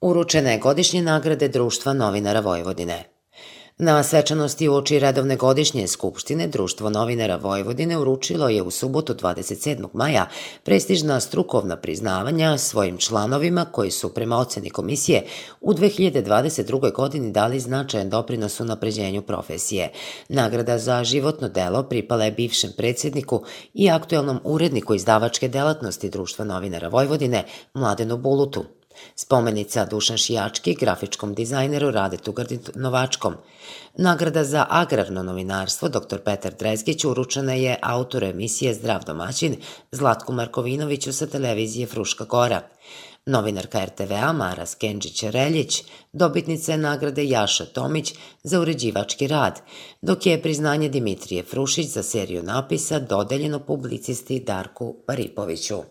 Uručene je godišnje nagrade Društva novinara Vojvodine. Na svečanosti uoči redovne godišnje skupštine Društvo novinara Vojvodine uručilo je u subotu 27. maja prestižna strukovna priznavanja svojim članovima koji su prema oceni komisije u 2022. godini dali značajan doprinos unapređenju profesije. Nagrada za životno delo pripala je bivšem predsjedniku i aktuelnom uredniku izdavačke delatnosti Društva novinara Vojvodine Mladenu Bulutu. Spomenica Dušan Šijački, grafičkom dizajneru Radetu Gardinovačkom. Nagrada za agrarno novinarstvo dr. Petar Drezgić uručena je autoru emisije Zdrav domaćin Zlatku Markovinoviću sa televizije Fruška Gora. Novinarka RTV-a Mara Skenđić-Reljić dobitnica je nagrade Jaša Tomić za uređivački rad, dok je priznanje Dimitrije Frušić za seriju napisa dodeljeno publicisti Darku Paripoviću.